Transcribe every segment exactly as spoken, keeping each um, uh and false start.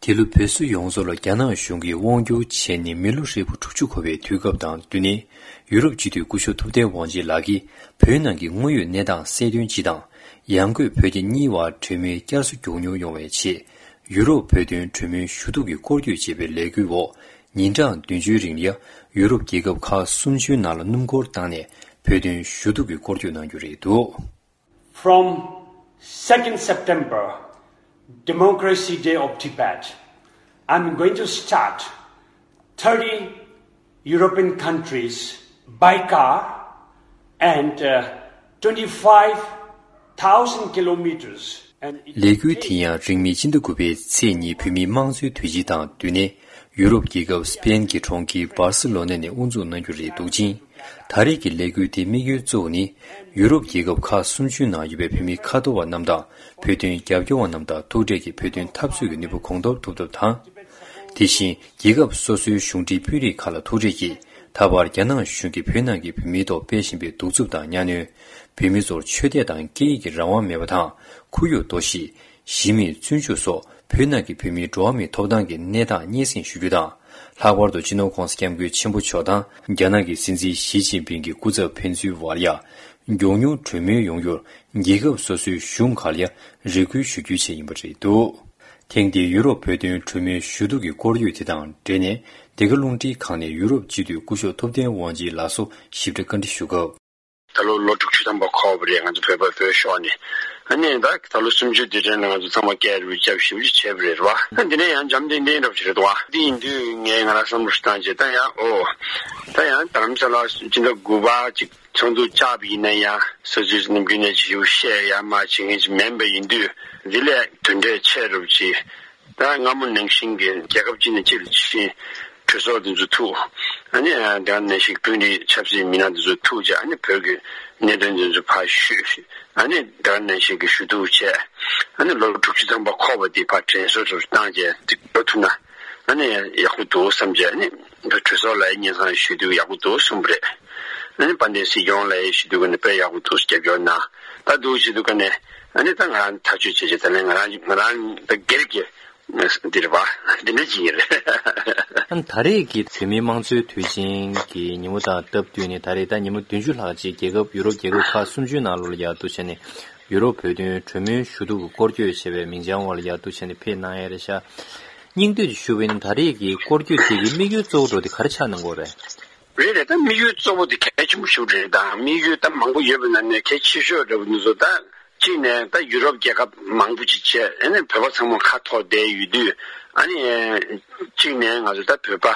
འདི་ལོ་བོད་སོག་ཡོངས་རྫོགས་ལ་རྒྱ་ནག་གཞུང་གིས་དབང་བསྒྱུར་བྱས་ནས་མི་ལོ་ཧྲིལ་པོ་དྲུག་ཅུ་འཁོར་བའི་དུས་སྐབས་དང་བསྟུན་ནས། ཡུ་རོབ་སྤྱི་འཐུས་སྐུ་ཞབས་ཐུབ་བསྟན་དབང་ཆེན་ལགས་ཀྱིས་བོད་ནང་གི་དངོས་ཡོད་གནས་སྟངས་གསལ་སྟོན་སྤྱི་དང་། ཡང་སྒོས་བོད་རྒྱ་གཉིས་བར་གྲོས་མོལ་བསྐྱར་གསོ་མགྱོགས་མྱུར་ཡོང་བའི་ཆེད། ཡུ་རོབ་བོད་དོན་གྲོས་མོལ་ཞུ་གཏུག་གི་སྐོར་སྐྱོད་ཅེས་པའི་ལས་འགུལ་འོག་ཉིན་གྲངས་བདུན་ཅུའི་རིང་ལ་ཡུ་རོབ་རྒྱལ་ཁབ་ཁག་སུམ་ཅུའི་ནང་ལ་སྣུམ་འཁོར་བཏང་ནས་བོད་དོན་ཞུ་གཏུག་གི་སྐོར་སྐྱོད་གནང་རྒྱུ་རེད་འདུག། From second September, Democracy Day of Tibet, I'm going to start thirty European countries by car and uh, twenty-five thousand kilometers. And it ལས་འགུལ་དེ་ཡང་རིང་མིན་སྤྱི་ཟླ་དགུ་པའི་ཚེས་གཉིས་བོད་མིའི་དམངས་གཙོའི་དུས་ཆེན་དང་བསྟུན་ནས་ཡུ་རོབ་རྒྱལ་ཁབ་སི་པེན་གྱི་གྲོང་ཁྱེར་སྦར་སི་ལོ་ན་ནས་དབུ་འཛུགས་གནང་རྒྱུ་རེད་འདུག་ཅིང་། ད་རེས་ཀྱི་ལས་འགུལ་དེའི་དམིགས་ཡུལ་གཙོ་བོ་ནི། ཡུ་རོབ་རྒྱལ་ཁབ་ཁག་སུམ་ཅུའི་ནང་ཡོད་པའི་བོད་མི་ཁ་ཐོར་བ་རྣམས་དང་། བོད་དོན་རྒྱབ་སྐྱོར་བ་རྣམས་དང་ཐུག་འཕྲད་ཀྱིས་བོད་དོན་འཐབ་རྩོད་ཀྱི་ནུས་པ་གོང་མཐོར་ཐུབ་ཐབས་དང་། དེ་བཞིན་རྒྱལ་ཁབ་སོ་སོའི་གཞུང་འབྲེལ་དཔོན་རིགས་ཁག་ལ་ཐུག་འཕྲད་ཀྱིས། ད་བར་རྒྱ་ནག་གཞུང་གིས་བོད་ནང་གི་བོད་མིའི་ཐོག་སྤེལ་བཞིན་པའི་གདུག་རྩུབ་དང་གཉའ་གནོན། བོད་མི་ཚོར་ཆོས་དད་དང་སྐད་ཡིག་གི་རང་དབང་མེད་པ་དང་། ཁོར་ཡུག་གཏོར་བཤིག་གཞི་མེད་བཙོན་འཇུག་སོགས་བོད་ནང་གི་བོད་མིའི་འགྲོ་བ་མིའི་ཐོབ་ཐང་གི་གནས་སྟངས་སྙན་སེང་ཞུ་རྒྱུ་དང་། ལྷག་པར་དུ་སྤྱི་ནོར་༸གོང་ས་༸སྐྱབས་མགོན་ཆེན་པོ་མཆོག་དང་རྒྱ་ནག་གི་སྲིད་འཛིན་ཞི་ཅིན་ཕིང་གི་སྐུ་ཚབ་ཕན་ཚུན་བར་ཡང་མགྱོགས་མྱུར་གྲོས་མོལ་ཡོང་རྒྱུར་རྒྱལ་ཁབ་སོ་སོའི་གཞུང་ཁག་ལ་ཡང་རེ་སྐུལ་ཞུ་རྒྱུའི་ཆེད་ཡིན་པ་རེད་འདུག། ཐེངས་འདིའི་ཡུ་རོབ་བོད་དོན་གྲོས་མོལ་ཞུ་གཏུག་གི་སྐོར་སྐྱོད་དེ་དང་འབྲེལ་ནས། འདི་ག་རླུང་འཕྲིན་ཁང་ནས་ཡུ་རོབ་སྤྱི་འཐུས་སྐུ་ཞབས་ཐུབ་བསྟན་དབང་ཆེན་ལགས་སུ་ཞིབ་ཕྲ་བཀའ་འདྲི་ཞུ་སྐབས། ད་ལོ་ལོ་དྲུག་ཅུ་ཐམ་པ་འཁོར་བ་རེད། ང་ཚོ་བོད་པ་བོད་ཤོར་ནས། ཨ་ནི་ད་ད་ལོ་སུམ་ཅུ་དུས་དྲན་ལ་ང་ཚོ་ཚང་མ་སྐད་རུས་རྒྱབ་ཞིབ་ཞིབ་བྱས་པ་རེད་བ། ཨ་འདི་ནས་ཡང་འཇམ་ཐིང་ཐིང་འདྲ་པོ་ཞིག་རེད་བ། འདི་ཡིན་དུས་ངས་ང་རང་བསམ་བློ་ཞིག་བཏང་རྗེས་ད་ཡང་ཨོ། ད་ཡང་རྡ་རམ་ས་ལ་སྤྱི་ཟླ་དགུ་པ་ཅིག་ཚོགས་འདུ་བཅར་བ་ཡིན་ན་ཡང་ས་ཚུལ་ནམ་རྒྱུན་ནས་ཞིབ་བཤད་ཡར་མར་བྱེད་མཁན་ཅིག་མིན་པ་ཡིན་དུས། འདི་ལས་དོན་འབྲས་ཆེ་རུ་ཅིག་ད་སྔ་མོ་ནང་བཞིན་གྱི་རྒྱལ་ཁབ་གཅིག་ནས་གཅིག་ལ་ཕྱིན། གྲོས་ཚོགས་འདི་ཚོ་ཐུག། ཨ་ནི་དེ་ག་ནང་བཞིན་དཔོན་རིགས་ཆབ་སྲིད་མི་སྣ་འདི་ཚོ་ཐུག་རྗེས་ཨ་ནི་བོད་ཀྱི་གནད་དོན་འདི་ཚོ་ཕར་ཞུས། ཨ་ནི་དེ་ག་ནང་བཞིན་གྱི་ཞུ་གཏུག་བྱས། ཨ་ནི་ལོ་དྲུག་ཅུ་ཐམ་པ་འཁོར་བ་འདི་ཕར་དྲན་གསོ་ཚུར་བཏང་རྗེས་འདི་འགྲོ་ཐུབ་ན། ཨ་ནི་ཡག་པོ་འདུག་བསམ་རྗེས་ཨ་ནི་གྲོས་ཚོགས་ལ་སྙན་སེང་ཞུས་དུས་ཡག་པོ་འདུག་གསུངས་པ་རེད། ཨ་ནི་དཔལ་ལྡན་སྲིད་སྐྱོང་ལ་ཞུས་དུས་ཀ་ནས་དཔེ་ཡག་པོ་འདུག་རྒྱབ་སྐྱོར་གནང་། ད་འདུག་བྱེད་དུས་ཀ་ནས་ཨ་ནི་ད་ང་རང་ཐག་གཅོད་བྱས་རྗེས་ད་ལན་ང་རང་ང་རང་ད་སྒེར་གྱི་འདི་རེད་བ། འདི་འདྲ་ཅིག་ཡིན་རེད། ཨ་ནི་ད་རེས་ཀྱི་བོད་མིའི་དམངས་གཙོའི་དུས་ཆེན་གྱི་ཉིན་མོ་དང་སྟབས་བསྟུན་ནས་ད་རེས་ད་ཉིན་མོ་བདུན་ཅུ་ལྷག་ཅིག་རྒྱལ་ཁབ་ཡུ་རོབ་རྒྱལ་ཁབ་ཁག་སུམ་ཅུའི་ནང་ལོགས་ལ་ཡར་འདུག་བྱས་ནས་ཡུ་རོབ་བོད་དོན་གྲོས་མོལ་ཞུ་གཏུག་གི་སྐོར་སྐྱོད་བྱས་པའི་མིང་བྱང་འོག་ལ་ཡར་འདུག་བྱས་ནས་ཕེབས་གནང་ཡས་རེད་ཤག། སྙིང་བསྡུས་ཞུ་བ་ཡིན་ན་ད་རེས་ཀྱི་སྐོར་སྐྱོད་དེ་གི་དམིགས་ཡུལ་གཙོ་བོ་འདྲ་བོ་དེ་ག་རེ་ཆགས་གནང་གི་ཡོད་རེད། རེད་རེད། ད་དམིགས་ཡུལ་གཙོ་བོ་དེ་གལ་ཆེན་པོ་ཞིག་རེད། ད་དམིགས་ཡུལ་ད་མང་པོ་ཡོད་པའི་ནང་ནས་གལ་ཆེ་ཤོས་འདྲ་བོ་འདི་ཚོ་ད། གཅིག་ནས་ད་ཡུ་རོབ་རྒྱལ་ཁབ་མང་པོ་ཅིག་བྱས་ཨ་ནི་བོད་པ་ཚང་མ་ཁ་འཐོར་བསྡད་ཡོད་དུས་ཨ་ནི། གཅིག་ནས་ང་ཚོ་ད་བོད་པ་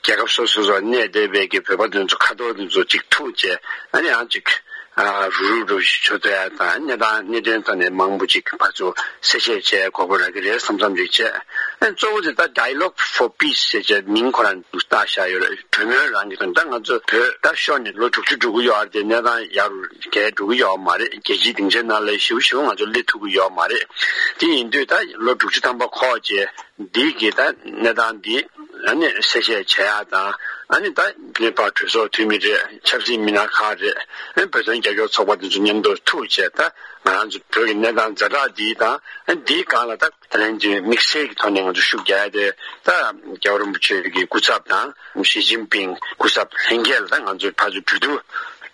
རྒྱལ་ཁབ་སོ་སོ་སོ་གནས་བསྡད་པའི་གི་བོད་པ་དེ་ཚོ་ཁ་འཐོར་དེ་ཚོ་ཅིག་ཐུག་བྱས་ཨ་ནི་ཡང་ཅིག་རུག་རུག་འགྲོ་ཞིག་ཆོག་ཐུབ་ཡ་དང་གནས་སྟངས་གནད་དོན་ཐོག་ནས་མང་པོ་ཅིག་ཕར་ཚུར་གསལ་བཤད་བྱས་གོ་སྐབས་རག་གི་རེད་བསམ་བསམ་ཅིག་བྱས། ཨ་ནི་གཙོ་བོ་དེ་ད་Dialogue for Peace་ཞེས་བྱས་མིང་ཁོ་རང་བཏགས་བཞག་ཡོད་རེད། གྲོས་མོལ་རང་གི་དོན་ད་ང་ཚོ་བོད་ད་ཤོར་ནས་ལོ་དྲུག་ཅུ་འགྲོ་གི་ཡོད་རེད་དེ་གནས་སྟངས་ཡར་རྒྱས་འགྲོ་གི་ཡོད་མ་རེད། རྒྱལ་སྤྱིའི་སྡིངས་ཆའི་ནང་ལ་ཞིབ་ཞིབ་ང་ཚོ་སླེབས་ཐུབ་ཀྱི་ཡོད་མ་རེད། དེ་ཡིན་དུས་ད་ལོ་དྲུག་ཅུ་ཐམ་པ་འཁོར་རྗེས་འདི་གི་ད་གནས་སྟངས་འདི་ཨ་ནི་གསལ་བཤད་བྱེད་ཡག་དང་ཨ་ནི་ད་ནེ་པཱལ་གྲོས་ཚོགས་འཐུས་མི་རེད། ཆབ་སྲིད་མི་སྣ་ཁག་རེད། ཨ་ནི་བོད་དོན་རྒྱབ་སྐྱོར་ཚོགས་པ་དེ་ཚོ་མཉམ་དུ་ཐུག་བྱས་ད་ང་རང་ཚོ་བོད་ཀྱི་གནས་སྟངས་ཛ་དྲག་འདི་དང་ཨ་ནི་འདིའི་སྒང་ལ་ད་ད་ལན་གྱི་དམིགས་བསལ་གྱི་ཐོག་ནས་ང་ཚོ་ཤུགས་རྒྱག་ཡ་དེ་ད་རྒྱལ་བ་རིན་པོ་ཆེ་གི་སྐུ་ཚབ་དང་ཞི་ཅིན་ཕིང་སྐུ་ཚབ་ལྷན་རྒྱས་ལ་ད་ང་ཚོས་ཕར་ཚུར་གྲོས་བསྡུར་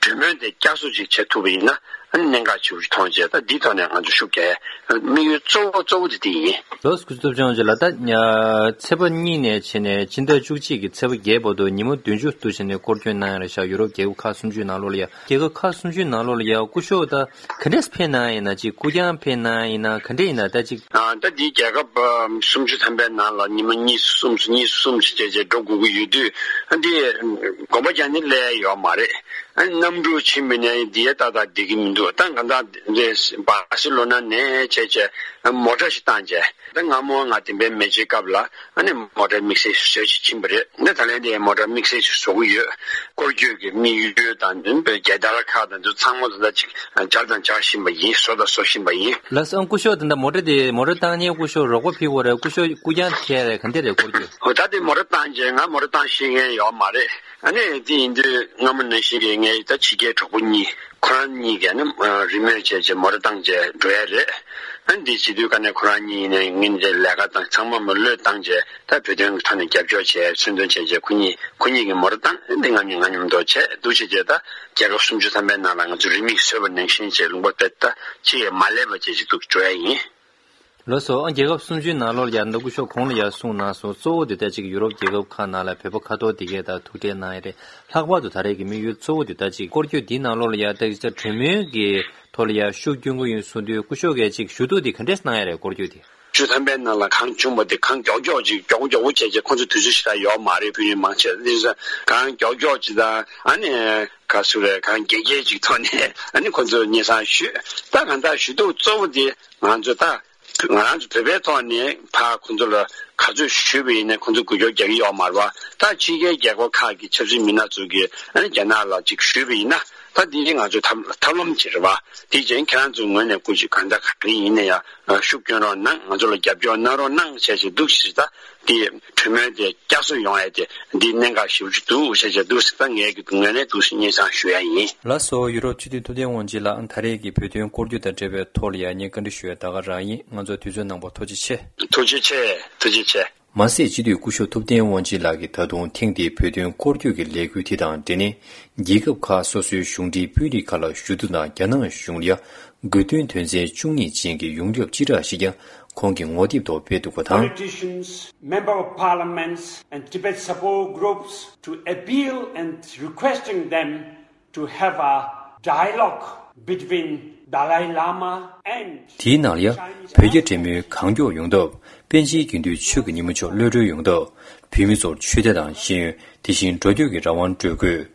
གྲོས་མོལ་དེ་བསྐྱར་གསོ་ཅིག་བྱེད་ཐུབ་པ་ཡིན་ན་ཨ་ནི་གནད་འགག་ཆེ་བོ་ཞིག་མཐོང་བྱས་ད་འདིའི་ཐོག་ནས་ང་ཚོ་ཤུགས་རྒྱག་ཡ་དམིགས་ཡུལ་གཙོ་བོ་གཙོ་བོ་དེ་དེ་ཡིན། ལགས་སོ། སྐུ་ཚབ་ལྕམ་ཆེ་ལགས། ད་ཚེས་པ་གཉིས་ནས་བྱས་ནས་སྤྱི་ཟླ་བཅུ་གཅིག་གི་ཚེས་པ་བརྒྱད་བར་དུ་ཉིན་མོ་བདུན་ཅུ་འདུག་བྱས་ནས་སྐོར་སྐྱོད་གནང་ཡ་རེད་ཤག། ཡུ་རོབ་རྒྱལ་ཁབ་ཁག་སུམ་ཅུའི་ནང་ལོགས་ལ་ཡ། རྒྱལ་ཁབ་ཁག་སུམ་ཅུའི་ནང་ལོགས་ལ་ཡ་སྐུ་ཞབས་ད། ག་འདྲས་ཕེབས་གནང་ཡིན་ན་ཅིག་སྐུ་རྐྱང་ཕེབས་གནང་ཡིན་ན་ག་འདྲས་ཡིན་ན་ད་ཅིག་ཨ་ད་འདི་རྒྱལ་ཁབ་ཨ་སུམ་ཅུ་ཐམ་པའི་ནང་ལ་ཉི་མ་གཉིས་སུ་གསུམ་སུ་གཉིས་སུ་གསུམ་ཞིག་བྱས་བྱས་འགྲོ་དགོས་ཀྱི་ཡོད་དུས་ཨ་འདི་དགོངས་པ་རྒྱག་ནི་སླེབས་ཡོད་མ་རེད། ཨ་གནམ་གྲུ་ཕྱིན་པ་ནས་འདི་ཡ་ཏག་ཏག་བསྡད་ཀྱི་མི་འདུག། ད་གང་ལྟར་འདི་སྦར་སི་ལོ་ན་ནས་བྱས་བྱས་མོ་ཊ་ཞིག་བཏང་བྱས་ད་སྔ་མོ་ང་དེ་འབའི་མེ་ཆེ་སྐབས་ལ། ཨ་ནི་མོ་ཊ་དམིགས་བསལ་ཞིག་བཟོས་ཅིག་ཕྱིན་པ་རེད། ཨ་ནི་ད་ལན་དེ་མོ་ཊ་དམིགས་བསལ་ཞིག་བཟོ་གི་ཡོད། སྐོར་སྐྱོད་ཀྱི་དམིགས་ཡུལ་དང་མདུན་པའི་རྒྱལ་དར་ཁག་དང་དུ་ཚང་མ་དུ་ད་ཅིག་སྦྱར་དང་སྦྱར་བཞིན་པ་ཡིན། བཟོ་དང་བཟོ་བཞིན་པ་ཡིན། ལགས་སོ། ཨང་སྐུ་ཞབས་དེ་འདྲ་མོ་ཊ་དེ་མོ་ཊ་བཏང་ཉེ་སྐུ་ཞབས་རོགས་པ་ཕེབས་དགོས་རེད། སྐུ་ཞབས་སྐུ་རྐྱང་ཁྱེར་རེད། ག་འདྲ་རེད་སྐོར་སྐྱོད། ཧོ་ད་དེ་མོ་ཊ་བཏང་རྗེས་ང་མོ་ཊ་བཏང་ཤེས་མཁན་ཡོད་མ་རེད། ཨ་ནི་དེ་ཡིན་དུས་སྔ་མོ་ནང་བཞིན་གྱི་ངའི་ད་ཕྱི་རྒྱལ་གྲོགས་པོ་གཉིས་ཁོ་རང་གཉིས་ཀྱིས་ཨ་ནི་རི་མོ་བྱས་རྗེས་མོ་ཊ་བཏང་རྗེས་འགྲོ་ཡ་རེད། ཨ་འདི་སྤྱི་འཐུས་ཀ་ནས་ཁོ་རང་གཉིས་ནས་ངན་ལས་ཀ་དང་ཚང་མ་མ་བློས་བཏང་བྱས། ད་བོད་དོན་གྱི་ཐོག་ནས་རྒྱབ་སྐྱོར་བྱས། མཚོན་དོན་བྱས་བྱས་ཁོ་གཉིས་ཁོ་གཉིས་ཀྱི་མོ་ར་བཏང་འདི་ང་གཉིས་ང་མཉམ་དུ་བྱས་འདུག་བྱས་བྱས། ད་རྒྱལ་ཁབ་སུམ་ཅུ་ཐམ་པའི་ནང་ལ་ང་ཚོ་རིན་མེད་བཟོས་པ་ནང་བཞིན་བྱས་ལུང་པ་དེ་ད་ཅི་ཡང་མ་ལས་པ་བྱས་ཅིག་འདུག་འགྲོ་ཡ་ཡིན། ལགས་སོ། ཨ་རྒྱལ་ཁབ་སུམ་ཅུའི་ནང་ལོགས་ལ་ཡ་ད་སྐུ་ཞབས་གོང་ལ་ཡ་གསུངས་གནང་སོང་། གཙོ་བོ་དེ་ད་ཅིག་ཡུ་རོབ་རྒྱལ་ཁབ་ཁག་ནང་ལ་བོད་པ་ཁ་ཐོར་དེ་གས་ད་ཐུག་འཕྲད་གནང་ཡ་རེད། ལྷག་པར་དུ་ད་རེས་ཀྱི་དམིགས་ཡུལ་གཙོ་བོ་དེ་ད་ཅིག་སྐོར་སྐྱོད་འདིའི་ནང་ལོགས་ལ་ཡ་ད་ཅིག་གྲོས་མོལ་གྱི་ཐོག་ལ་ཡ་ཤུགས་སྐྱོན་གྱི་ཡིན་གསུངས་དུས། སྐུ་ཞབས་ཀྱིས་ཅིག་ཞུ་གཏུག་དེ་ག་འདྲས་གནང་ཡ་རེད། སྐོར་སྐྱོད་དེ། བཅུ་ཐམ་པའི་ནང་ལ་གང་བྱུང་བ་དེ་གང་མགྱོགས་མགྱོགས་ཅིག་མགྱོགས་པོ་མགྱོགས་པོ་བྱས་བྱས། ཁོང་ཚོ་དུས་ཚོད་ཞེ་དྲག་ཡོད་མ་རེད། བོད་རིགས་མང་ཆེ་དེ་ཚོ་གང་མགྱོགས་མགྱོགས་ཅིག་དང་། ཨ་ནི་ག་སུ་རེད། གང་རྒྱལ་རྒྱལ་ཅིག་ཐོག་ནས་ཨ་ནི་ཁོང་ཚོ་སྙན་སེང་ཞུས། ད་གང་ལྟར་ཞུ་གཏུག་གཙོ་བོ་དེ་ང་ཚོ་ད་ང་རང་ཚོ་བོད་པའི་ཐོག་ནས་ཕར་ཁོང་ཚོ་ལ་ག་ཚོད་ཞུས་པ་ཡིན་ན། ཁོང་ཚོ་འགུལ་སྐྱོད་རྒྱག་གི་ཡོད་མ་རེད་པ། ད་ཕྱི་རྒྱལ་རྒྱལ་ཁབ་ཁག་གི་ཆབ་སྲིད་མི་སྣ་ཚོ་གིས་ཨ་ནི་རྒྱ་ནག་ལ་ཅིག་ཞུས་པ་ཡིན་ན། ད་འདི་ང་ཚོའི་ཐབས་ཐབས་ལམ་ཅིག་རེད་པ། དེ་བྱས་ཁྱེད་རང་ཚོའི་ངོས་ནས་སྐུ་མཁྱེན་གང་ལྟར་ག་རེ་ཡིན་ན་ཡང་ཤུགས་སྐྱོན་རོགས་གནང་། ང་ཚོ་ལ་རྒྱབ་སྐྱོར་གནང་རོགས་གནང་བྱས་བྱས་འདུག་ཟེར། ད་དེ་གྲོས་མོལ་དེ་བསྐྱར་གསོ་ཡོང་ཡ་དེ་འདི་གནད་འགག་ཞེ་པོ་ཅིག་འདུག་བྱས་བྱས་འདུག་ཟེར། ད་ངའི་གི་ངོས་ནས་འདུག་ཟེར་སྙན་སེང་ཞུ་ཡ་ཡིན། ལགས་སོ། ཡུ་རོབ་སྤྱི་འཐུས་ཐུབ་བསྟན་དབང་ཆེན་ལགས། ད་རེས་ཀྱི་བོད་དོན་སྐོར་སྐྱོད་དང་འབྲེལ་བའི་ཐོག་ལ་ཡང་ངས་བཀའ་འདྲི་ཞུ་ཡ་ད་ག་རང་ཡིན། ང་ཚོ་དུས་ཚོད་གནང་བར་ཐུགས་རྗེ་ཆེ། ཐུགས་རྗེ་ཆེ། ཐུགས་རྗེ་ཆེ། མ་ཟད་སྤྱི་འཐུས་སྐུ་ཞབས་ཐུབ་བསྟན་དབང་ཆེན་ལགས་ཀྱིས་ད་དུང་ཐེངས་འདིའི་བོད་དོན་སྐོར་སྐྱོད་ཀྱི་ལས་འགུལ་དེ་དང་འབྲེལ་ནས། རྒྱལ་ཁབ་ཁག་སོ་སོའི་གཞུང་འབྲེལ་དཔོན་རིགས་ཁག་ལ་ཞུ་གཏུག་དང་། རྒྱ་ནག་གཞུང་ལ་ཡ་དགོས་འདུན་དོན་ཚན་བཅུ་གཉིས་ཅན་གྱི་ཡོངས་ཁྱབ་སྤྱི་བསྒྲགས་ཤིག་ཀྱང་ཁོང་གིས་ངོ་དེབ་ཐོག་སྤེལ་འདུག་པ་དང་། Politicians, member of parliaments and Tibet support groups to appeal and requesting them to have a dialogue between Dalai Lama and དེའི་ནང་ལ་ཡ་བོད་རྒྱ་འབྲེལ་མོལ་གང་མགྱོགས་ཡོང་ཐབས། པཎ་ཆེན་དགེ་འདུན་ཆོས་ཀྱི་ཉིན་མོ་མཆོག་གློད་གྲོལ་ཡོང་ཐབས། བོད་མི་ཚོར་ཆོས་དད་དང་ཤེས་ཡོན། དེ་བཞིན་འགྲོ་སྐྱོད་ཀྱི་རང་དབང་སྤྲོད་དགོས།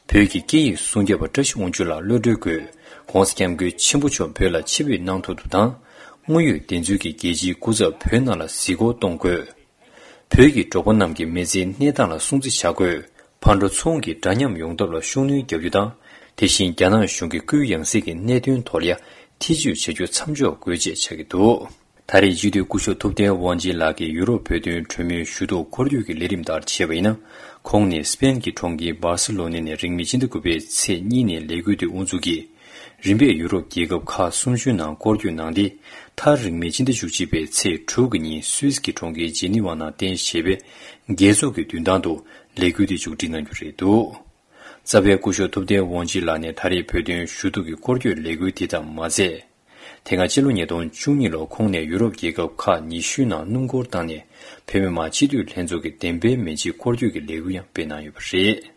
བོད་ཀྱི་སྐད་ཡིག་སྲུང་སྐྱོབ་པ་བཀྲ་ཤིས་དབང་ཕྱུག་ལགས་གློད་གྲོལ་དགོས། ༸གོང་ས་༸སྐྱབས་མགོན་ཆེན་པོ་མཆོག་བོད་ལ་ཆིབས་བསྒྱུར་གནང་ཐུབ་ཐབས་དང་། དངོས་ཡོད་བདེན་འཚོལ་གྱི་རྒྱལ་སྤྱིའི་སྐུ་ཚབ་བོད་ནང་ལ་གཟིགས་སྐོར་གཏོང་དགོས། བོད་ཀྱི་འབྲོག་པ་རྣམས་ཀྱི་མི་ཚེའི་གནས་སྟངས་ལ་སྲུང་བརྩི་བྱ་དགོས། ཕར་འགྲོ་ཚུར་འོང་གི་འདྲ་མཉམ་ཡོང་ཐབས་ལ་ཤུགས་སྣོན་རྒྱག་རྒྱུ་དང་། དེ་བཞིན་རྒྱ་ནག་གཞུང་གི་སྐུའི་ཡང་སྲིད་ཀྱི་གནད་དོན་ཐོག་ལ་ཡ་ཐེ་བྱུས་བྱ་རྒྱུ་མཚམས་འཇོག་དགོས་ཅེས་བྱ་གི་འདུག་ད་རེས་སྤྱི་འཐུས་སྐུ་ཞབས་ཐུབ་བསྟན་དབང་ཆེན་ལགས་ཀྱིས་ཡུ་རོབ་བོད་དོན་གྲོས་མོལ་ཞུ་གཏུག་སྐོར་སྐྱོད་ཀྱི་ལས་རིམ་ལྟར་བྱས་པ་ཡིན་ན། ཁོང་ནི་སི་པེན་གྱི་གྲོང་ཁྱེར་སྦར་སི་ལོ་ནེ་ནས་རིང་མིན་སྤྱི་ཟླ་དགུ་པའི་ཚེས་གཉིས་ནས་ལས་འགུལ་དེ་དབུ་འཛུགས་ཀྱིས། རིམ་པས་ཡུ་རོབ་རྒྱལ་ཁབ་ཁག་སུམ་ཅུའི་ནང་སྐོར་སྐྱོད་གནང་སྟེ། མཐར་རིང་མིན་སྤྱི་ཟླ་བཅུ་གཅིག་པའི་ཚེས་དྲུག་གི་ཉིན་སུད་སི་གི་གྲོང་ཁྱེར་ཇི་ནི་ཝ་ནང་རྟེན་བྱས་པའི་རྒྱལ་ཚོགས་ཀྱི་མདུན་ཐང་དུ་ལས་འགུལ་དེ་མཇུག་སྒྲིལ་གནང་རྒྱུ་རེད་འདུག་རྩ་བའི་སྐུ་ཞབས་ཐུབ་བསྟན་དབང་ཆེན་ལགས་ནས་ད་རེས་བོད་དོན་ཞུ་གཏུག་གི་སྐོར་སྐྱོད་ལས་འགུལ་དེ་ཙམ་མ་ཟད། དེ་སྔ་ཕྱི་ལོ་ཉིས་སྟོང་བཅུ་གཉིས་ལོར་ཁོང་ནས་ཡུ་རོབ་རྒྱལ་ཁབ་ཁག་ཉི་ཤུའི་ནང་སྣུམ་འཁོར་བཏང་ནས་བོད་མི་མང་སྤྱི་འཐུས་ལྷན་ཚོགས་ཀྱི་འདེམས་པའི་མི་ཆེད་སྐོར་སྐྱོད་ཀྱི་ལས་འགུལ་ཡང་སྤེལ་གནང་ཡོད་པ་རེད།